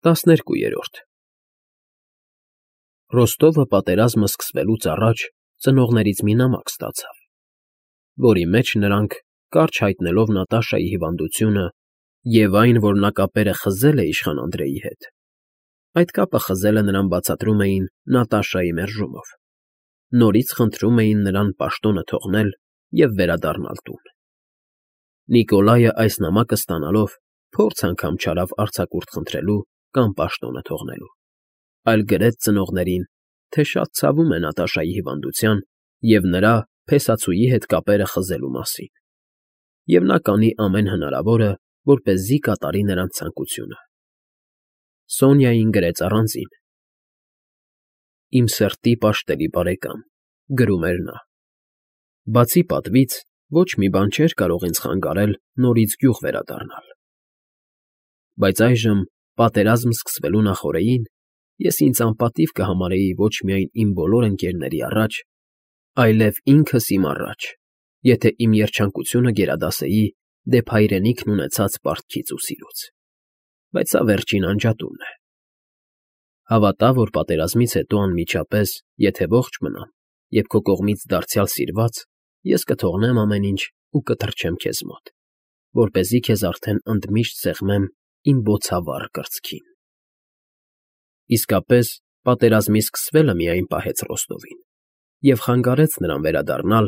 12 Ռոստովը պատերազմը սկսվելուց առաջ ծնողներից մի նամակ ստացավ, որի մեջ նրանք, կարճ հայտնելով Նատաշայի հիվանդությունը և այն, որ նա կապերը խզել է իշխան Անդրեի հետ, այդ կապը խզելը նրան բացատրում էին Նատաշայի մերժումով, նորից խնդրում էին նրան պաշտոնը թողնել և վերադառնալ տուն։ Նիկոլայը այս նամակը ստանալով փորձ անգամ չարավ արձակուրդ խնդրելու կամ պաշտոնը թողնելու, այլ գրեց ծնողներին, թե շատ ցավում է Նատաշայի հիվանդության և նրա փեսացուի հետ կապերը խզելու մասին, և նա կանի ամեն հնարավորը, որպեսզի կատարի նրանց ցանկությունը։ Սոնյային գրեց առանձին. «Իմ սրտի պաշտելի բարեկամ», գրում էր նա, «բացի պատվից ոչ մի բան չէր կարող ինձ խանգարել նորից գյուղ վերադառնալ։ Բայց այժմ, պատերազմ սկսվելու նախօրեին, ես ինձ անպատիվ կհամարեի ոչ միայն իմ բոլոր ընկերների առաջ, այլև ինքս իմ առաջ, եթե իմ երջանկությունը գերադասեի դեպ հայրենիքն ունեցած պարտքից ու սիրուց։ Բայց սա վերջին անջատումն է։ Հավատա, որ պատերազմից հետո անմիջապես, եթե ողջ մնամ և քո կողմից դարձյալ սիրված, ես կթողնեմ ամեն ինչ ու կթռչեմ քեզ մոտ, որպեսզի քեզ արդեն ընդմիշտ սեղմեմ իմ բոցավառ կրծքին»։ Իսկապես, պատերազմի սկսվելը միայն պահեց Ռոստովին և խանգարեց նրան վերադառնալ,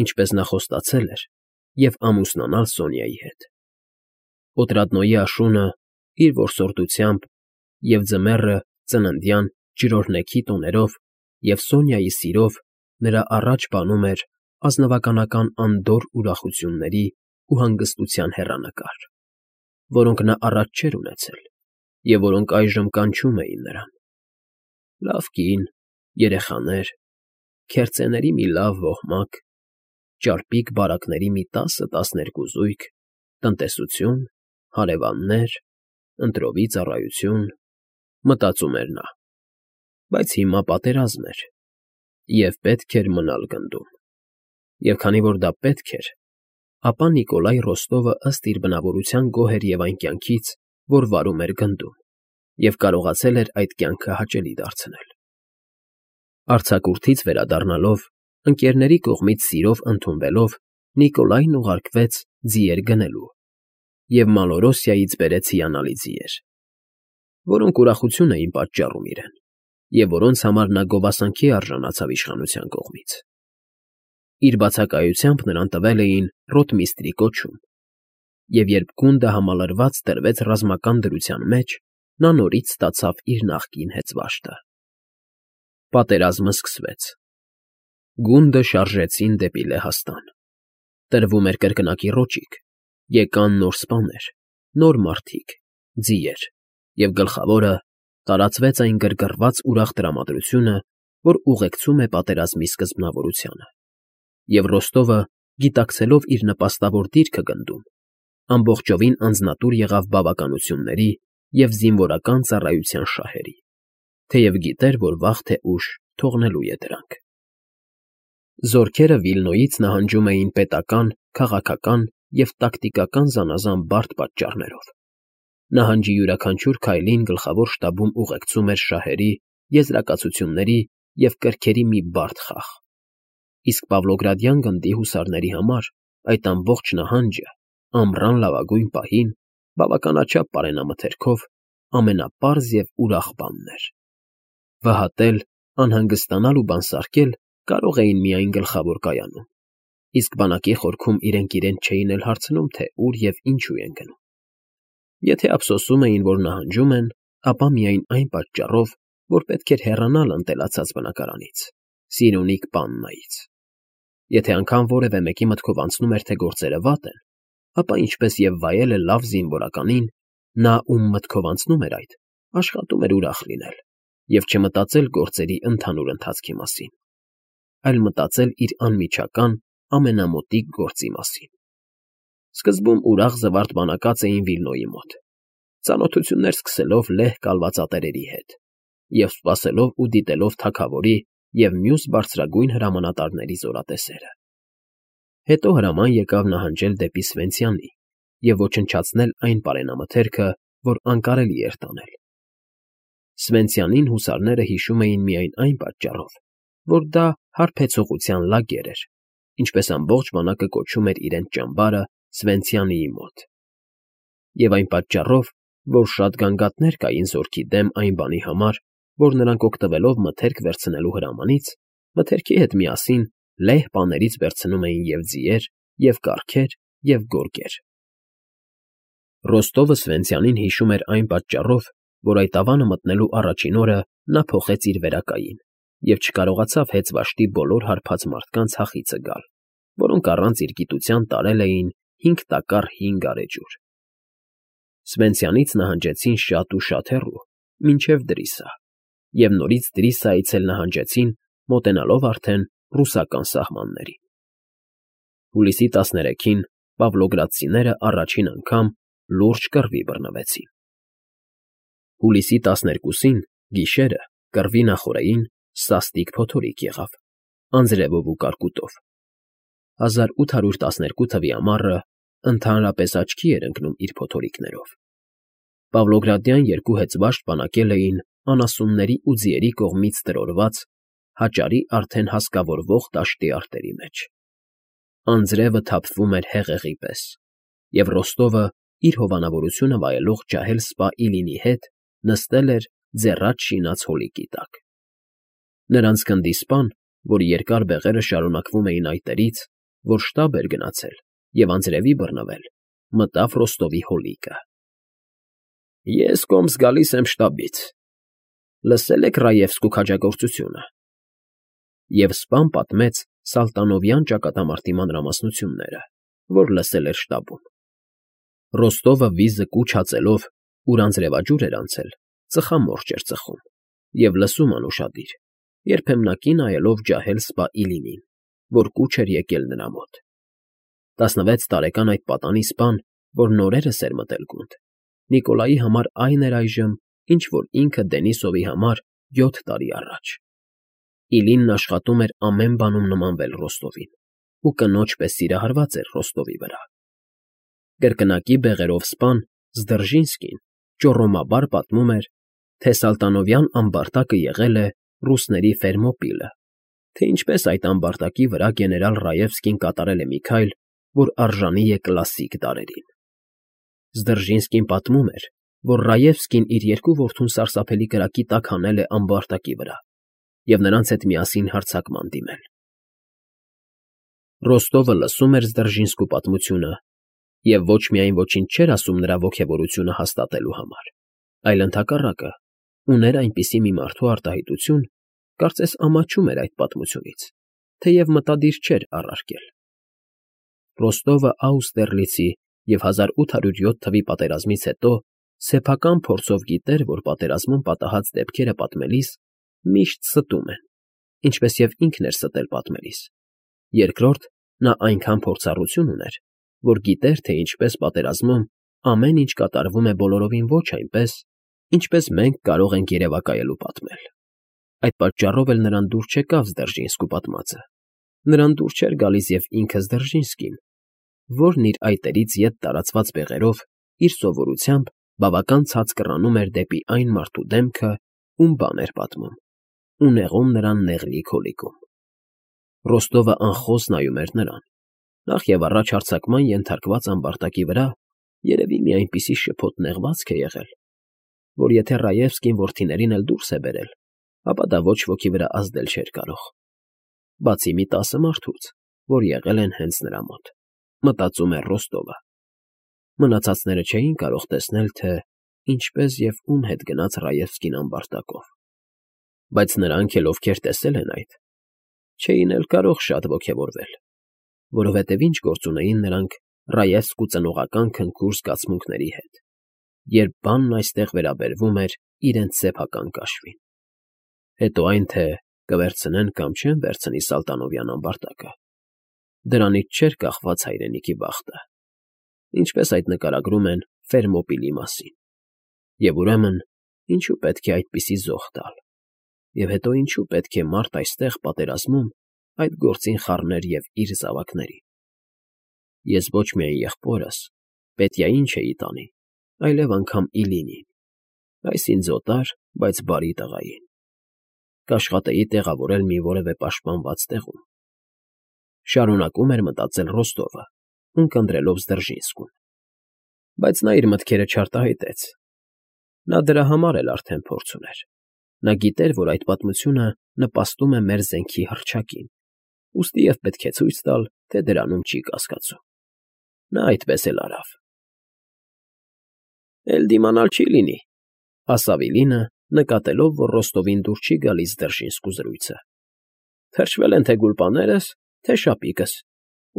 ինչպես նա խոստացել էր, և ամուսնանալ Սոնյայի հետ։ Օտրադնոյի աշունը, իր որսորդությամբ, և ձմեռը ծննդյան ջրօրհնեքի տոներով և Սոնյայի սիրով նրա առաջ բանում էր ազնվականական անդորր ուրախությունների ու հանգստության հեռանկար, որոնք նա առաջ չէր ունեցել և որոնք այժմ կանչում էին նրան. լավ կին, երեխաներ, քերծեների մի լավ ոհմակ, ճարպիկ բարակների մի 10-12 զույգ, տնտեսություն, հարևաններ, ընտրովի ծառայություն, մտածում էր նա, բայց հիմա պատերազմ էր, և պետք էր մնալ գնդում, և քանի որ դա պետք էր, ապա Նիկոլայ Ռոստովը ըստ իր բնավորության գոհ էր և այն կյանքից, որ վարում էր գնդում, և կարողացել էր այդ կյանքը հաճելի դարձնել։ Արձակուրդից վերադառնալով, ընկերների կողմից սիրով ընդունվելով, Նիկոլայն ուղարկվեց ձիեր գնելու և Մալորոսիայից բերեց հիանալի ձիեր, որոնք ուրախություն էին պատճառում իրեն և որոնց համար նա գովասանքի արժանացավ իշխանության կողմից։ Իր բացակայությամբ նրան տվել էին ռոտմիստրի կոչում, և երբ գունդը համալրված դրվեց ռազմական դրության մեջ, նա նորից ստացավ իր նախկին հեծվաշտը։ Պատերազմը սկսվեց։ Գունդը շարժեցին դեպի Լեհաստան։ Տրվում էր կրկնակի ռոճիկ, եկան նոր սպաներ, նոր մարդիկ, ձիեր, և գլխավորը, տարածվեց այն գրգռված ուրախ տրամադրությունը, որ ուղեկցում է պատերազմի սկզբնավորությանը, և Ռոստովը, գիտակցելով իր նպաստավոր դիրքը գնդում, ամբողջովին անձնատուր եղավ բավականությունների և զինվորական ծառայության շահերի, թեև գիտեր, որ վաղ թե ուշ թողնելու է դրանք։ Զորքերը Վիլնոյից նահանջում էին պետական, քաղաքական և տակտիկական զանազան բարդ պատճառներով։ Նահանջի յուրաքանչյուր քայլին գլխավոր շտաբում ուղեկցում էր շահերի, եզրակացությունների և կրքերի մի բարդ խաղ, իսկ Պավլոգրադյան գնդի հուսարների համար այդ ամբողջ նահանջը, ամռան լավագույն պահին, բավականաչափ պարենամթերքով, ամենապարզ և ուրախ բանն էր։ Վհատել, անհանգստանալ ու բանսարկել կարող էին միայն գլխավոր կայանում, իսկ բանակի խորքում իրենք իրենց չէին էլ հարցնում, թե ուր և ինչու են գնում։ Եթե ափսոսում էին, որ նահանջում են, ապա միայն այն պատճառով, որ պետք էր հեռանալ ընտելացած բնակարանից, Սիրունիկ Պաննայից։ Եթե անգամ որևէ մեկի մտքով անցնում էր, թե գործերը վատ են, ապա ինչպես և վայելը լավ զինվորականին, նա, ում մտքով անցնում էր այդ, աշխատում էր ուրախ լինել և չմտածել գործերի ընդհանուր ընթացքի մասին, այլ մտածել իր անմիջական, ամենամոտիկ գործի մասին։ Սկզբում ուրախ զվարթ բանակած էին Վիլնոյի մոտ, ծանոթություններ սկսելով լեհ կալվածատերերի հետ և սպասելով ու դիտելով թագավորի և մյուս բարձրագույն հրամանատարների զորատեսերը։ Հետո հրաման եկավ նահանջել դեպի Սվենցյանի և ոչնչացնել այն պարենամթերքը, որ անկարելի էր տանել, Սվենցյանին հուսարները հիշում էին միայն այն պատճառով, որ դա հարբեցողության լագեր էր, ինչպես ամբողջ բանակը կոչում էր իրենց ճամբարը Սվենցյանիի մոտ, և այն պատճառով, որ շատ գանգատներ կային զորքի դեմ այն բանի համար, որ նրանք օգտվելով մթերք վերցնելու հրամանից, մթերքի հետ միասին լեհ պաներից վերցնում էին և ձիեր, և կառքեր, և գորգեր։ Ռոստովը Սվենցյանին հիշում էր այն պատճառով, որ այդ ավանը մտնելու առաջին օրը նա փոխեց իր վերակային և չկարողացավ հեծվաշտի բոլոր հարբած մարդկանց հախիցը գալ, որոնք առանց իր գիտության տարել էին 5 տակառ հին գարեջուր։ Սվենցյանից նահանջեցին շատ ու շատ հեռու, մինչև Դրիսա, և նորից Դրիսայից էլ նահանջեցին, մոտենալով արդեն ռուսական սահմաններին։ Հուլիսի 13-ին պավլոգրադցիները առաջին անգամ լուրջ կռվի բռնվեցին։ Հուլիսի 12-ին գիշերը կռվի նախօրեին սաստիկ փոթորիկ եղավ, անձրևով ու կարկուտով։ 1812 թվի ամառը ընդհանրապես աչքի էր ընկնում իր փոթորիկներով։ Պավլոգրադյան երկու հեծվաշտ բանակել էին անասունների ու ձիերի կողմից տրորված, հաճարի արդեն հասկավորվող դաշտի արտերի մեջ։ Անձրևը թափվում էր հեղեղի պես, և Ռոստովը, իր հովանավորությունը վայելող ջահել սպա Իլինի հետ նստել էր ձեռած շինած հոլիկի տակ։ Նրանց գնդի սպան, որի երկար բեղերը շարունակվում էին այտերից, որ շտապ էր գնացել և անձրևի բռնվել, մտավ Ռոստովի հոլիկը։ ֊ Ես կոմս գալիս եմ շտաբից, լսե՞լ եք Ռաևսկու քաջագործությունը։ Եվ սպան պատմեց Սալտանովյան ճակատամարտի մանրամասնությունները, որ լսել էր շտաբում։ Ռոստովը վիզը կուչ հացելով, ուր անձրևաջուր էր անցել, ծխամորճ էր ծխում և լսում անուշադիր, երբեմնակի նայելով ջահել սպա Իլինին, որ կուչ էր եկել նրա մոտ։ 16 տարեկան այդ պատանի սպան, որ նորերս էր մտել գունդ, Նիկոլայի համար այն էր այժմ, ինչ որ ինքը Դենիսովի համար 7 տարի առաջ։ Իլինն աշխատում էր ամեն բանում նմանվել Ռոստովին ու կնոջ պես սիրահարված էր Ռոստովի վրա։ Կրկնակի բեղերով սպան Զդրժինսկին ճոռոմաբար պատմում էր, թե Սալտանովյան ամբարտակը եղել է ռուսների Ֆերմոպիլը, թե ինչպես այդ ամբարտակի վրա գեներալ Ռաևսկին կատարել է մի քայլ, որ արժանի է կլասիկ դարերին։ Զդրժինսկին պատմում էր, որ Ռաևսկին իր երկու որդուն սարսափելի կրակի տակ հանել է ամբարտակի վրա և նրանց հետ միասին հարձակման դիմել։ Ռոստովը լսում էր Զդրժինսկու պատմությունը և ոչ միայն ոչինչ չէր ասում նրա ոգևորությունը հաստատելու համար, այլ ընդհակառակը, ուներ այնպիսի մի մարդու արտահայտություն, կարծես ամաչում էր այդ պատմությունից, թեև մտադիր չէր առարկել։ Ռոստովը Աուստերլիցի և 1807 թվի պատերազմից հետո սեփական փորձով գիտեր, որ պատերազմում պատահած դեպքերը պատմելիս միշտ ստում են, ինչպես և ինքն էր ստել պատմելիս։ Երկրորդ, նա այնքան փորձառություն ուներ, որ գիտեր, թե ինչպես պատերազմում ամեն ինչ կատարվում է բոլորովին ոչ այնպես, ինչպես մենք կարող ենք երևակայել ու պատմել։ Այդ պատճառով էլ նրան դուր չեկավ Զդրժինսկու պատմածը։ Նրան դուր չէր գալիս և ինքը Զդրժինսկին, որն իր այտերից ետ տարածված բեղերով, իր սովորությամբ բավական ցած կռանում էր դեպի այն մարդու դեմքը, ում բան էր պատմում, ու նեղում նրան նեղլիկ հոլիկում։ Ռոստովը անխոս նայում էր նրան, նախ և առաջ հարձակման ենթարկված ամբարտակի վրա երևի մի այնպիսի շփոթ նեղվածք է եղել, որ եթե Ռաևսկին որդիներին էլ դուրս է բերել, ապա դա ոչ ոքի վրա ազդել չէր կարող, բացի մի 10 մարդուց, որ եղել են հենց նրա մոտ, մտածում էր Ռոստովը։ Մնացածները չէին կարող տեսնել, թե ինչպես և ում հետ գնաց Ռաևսկին ամբարտակով, բայց նրանք էլ, ովքեր տեսել են այդ, չէին էլ կարող շատ ոգևորվել, որովհետև ինչ գործ ունեին նրանք Ռաևսկու ծնողական քնքուր զգացմունքների հետ, երբ բանն այստեղ վերաբերվում էր իրենց սեփական կաշվին։ Հետո այն, թե կվերցնեն կամ չեն վերցնի Սալտանովյան ամբարտակը, դրանից չէր կախված հայրենիքի բախտը, ինչպես այդ նկարագրում են Ֆերմոպիլի մասին։ Եվ ուրեմն, ինչու պետք է այդպիսի զոհ տալ, և հետո ինչու պետք է մարդ այստեղ պատերազմում այդ գործին խառներ և իր զավակներին։ Ես ոչ միայն եղբորս, Պետյային չէի տանի, այլև անգամ Իլինին, այս ինձ օտար, բայց բարի տղային։ Կաշխատեի տեղավորել մի որևէ պաշտպանված տեղում։ Շարունակում էր մտածել Ռոստովը, ունկնդրելով Զդրժինսկուն։ Բայց նա իր մտքերը չարտահայտեց։ Նա դրա համար էլ արդեն փորձ ուներ։ Նա գիտեր, որ այդ պատմությունը նպաստում է մեր զենքի հռչակին, ուստի և պետք է ցույց տալ, թե դրանում չի կասկածում։ Նա այդպես էլ արավ։ «Էլ դիմանալ չի լինի», ֊ ասավ Իլինը, նկատելով, որ Ռոստովին դուր չի գալիս Դրժինսկու զրույցը։ «Թրջվել են թե գուլպաներս, թե շապիկս,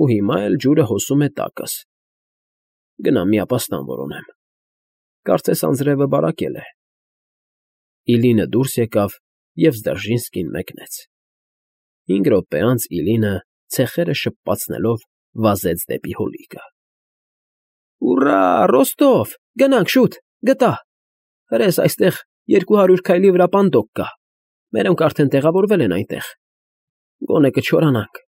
ու հիմա էլ ջուրը հոսում է տակս։ Գնամ մի ապաստան որոնեմ։ Կարծես անձրևը բարակել է»։ Իլինը դուրս եկավ, և Զդրժինսկին մեկնեց։ 5 րոպե անց Իլինը, ցեխերը շփպացնելով, վազեց դեպի հովիկը։ «Ուռա, Ռոստով, գնանք շուտ, գտա։ Հրես այստեղ 200 քայլի վրա պանդոկ կա։ Մերոնք արդեն տեղավորվել են այնտեղ։ Գոնե կչորանանք։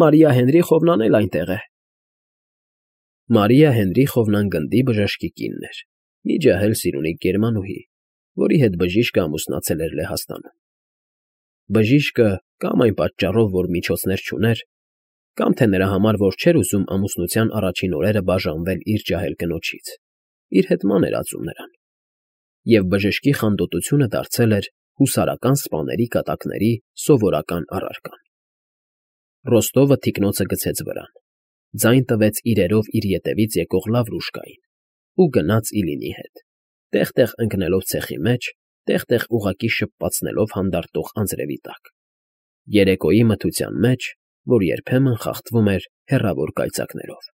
Մարիա Հենրիխովնան էլ այնտեղ է»։ Մարիա Հենրիխովնան գնդի բժշկի կինն էր, մի ջահել սիրունիկ գերմանուհի, որի հետ բժիշկը ամուսնացել էր Լեհաստանում։ Բժիշկը կամ այն պատճառով, որ միջոցներ չուներ, կամ թե նրա համար, որ չէր ուզում ամուսնության առաջին օրերը բաժանվել իր ջահել կնոջից, իր հետ ման էր ածում նրան, և բժշկի խանդոտությունը դարձել էր հուսարական սպաների կատակների սովորական առարկան։ Ռոստովը թիկնոցը գցեց վրան, ձայն տվեց իրերով իր ետևից եկող Լավրուշկային ու գնաց Իլինի հետ, տեղ֊տեղ ընկնելով ցեխի մեջ, տեղ֊տեղ ուղղակի շփպացնելով հանդարտող անձրևի տակ, երեկոյի մթության մեջ, որ երբեմն խախտվում էր հեռավոր կայծակներով։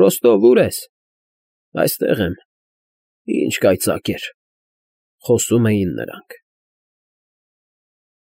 «Ռոստով, ո՞ւր ես»։ «Այստեղ եմ»։ «Ինչ կայծակ էր», խոսում էին նրանք։